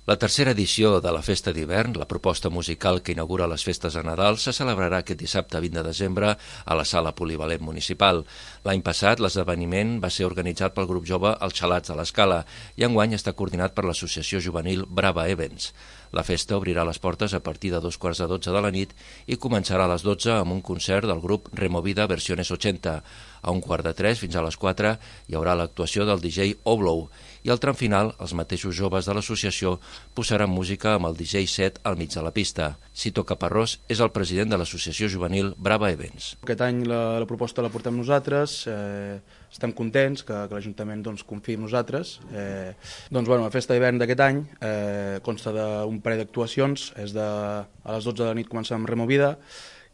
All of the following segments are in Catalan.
La tercera edició de la Festa d'Hivern, la proposta musical que inaugura les festes de Nadal, se celebrarà aquest dissabte 20 de desembre a la Sala Polivalent Municipal. L'any passat, l'esdeveniment va ser organitzat pel grup jove Els Xalats de l'Escala i enguany està coordinat per l'associació juvenil Brava Events. La festa obrirà les portes a partir de 11:45 de la nit i començarà a les 12 amb un concert del grup Removida Versiones 80. A 2:45 fins a les 4 hi haurà l'actuació del DJ Oblow i al tram final els mateixos joves de l'associació posaran música amb el DJ set al mig de la pista. Cito Caparrós és el president de l'associació juvenil Brava Events. Aquest any la proposta la portem nosaltres, estem contents que l'Ajuntament confiï en nosaltres. La festa d'hivern d'aquest any consta d'un parell d'actuacions, a les 12 de la nit comencem amb Removida,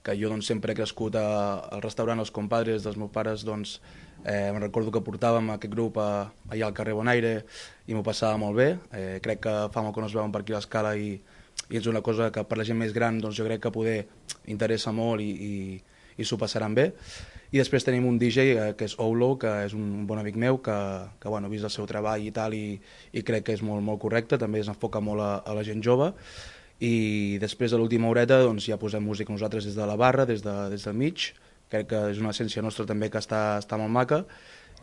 que jo sempre he crescut al restaurant Els Compadres dels meus pares, me'n recordo que portàvem aquest grup allà al carrer Bonaire i m'ho passava molt bé. Crec que fa molt que no es veuen per aquí a l'Escala i és una cosa que per la gent més gran jo crec que poder interessa molt i s'ho passaran bé. I després tenim un DJ que és Oulo, que és un bon amic meu, que he vist el seu treball i tal i crec que és molt correcte, també s'enfoca molt a la gent jove. I després a l'última horeta ja posem música nosaltres des de la barra, des del mig. Crec que és una essència nostra també que està molt maca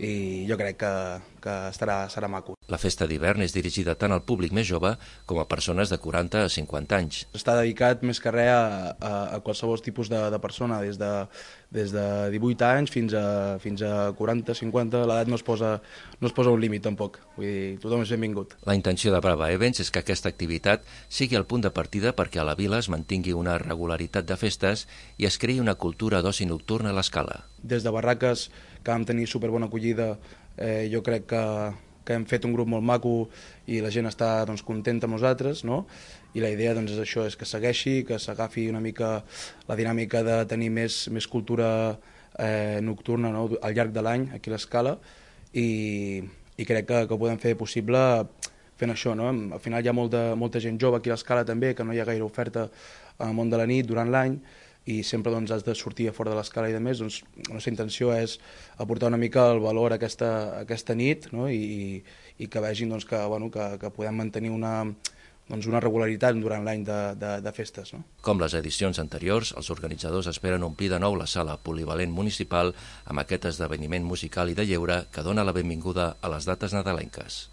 i jo crec que serà maco. La festa d'hivern és dirigida tant al públic més jove com a persones de 40 a 50 anys. Està dedicat més que res a qualsevol tipus de persona, des de 18 anys fins a 40, 50, l'edat no es posa un límit tampoc, vull dir, tothom és benvingut. La intenció de Brava Events és que aquesta activitat sigui el punt de partida perquè a la vila es mantingui una regularitat de festes i es creï una cultura d'oci nocturn a l'Escala. Des de barraques, que vam tenir superbona acollida, jo crec que hem fet un grup molt maco i la gent està contenta amb nosaltres, no? I la idea és això, és que segueixi, que s'agafi una mica la dinàmica de tenir més cultura nocturna al llarg de l'any aquí a l'Escala i crec que ho podem fer possible fent això, no? Al final hi ha molta gent jove aquí a l'Escala també, que no hi ha gaire oferta al món de la nit durant l'any i sempre has de sortir a fora de l'Escala i de més, la nostra intenció és aportar una mica el valor a aquesta nit, no? I que vegin que podem mantenir una regularitat durant l'any de festes. No? Com les edicions anteriors, els organitzadors esperen omplir de nou la sala polivalent municipal amb aquest esdeveniment musical i de lleure que dona la benvinguda a les dates nadalenques.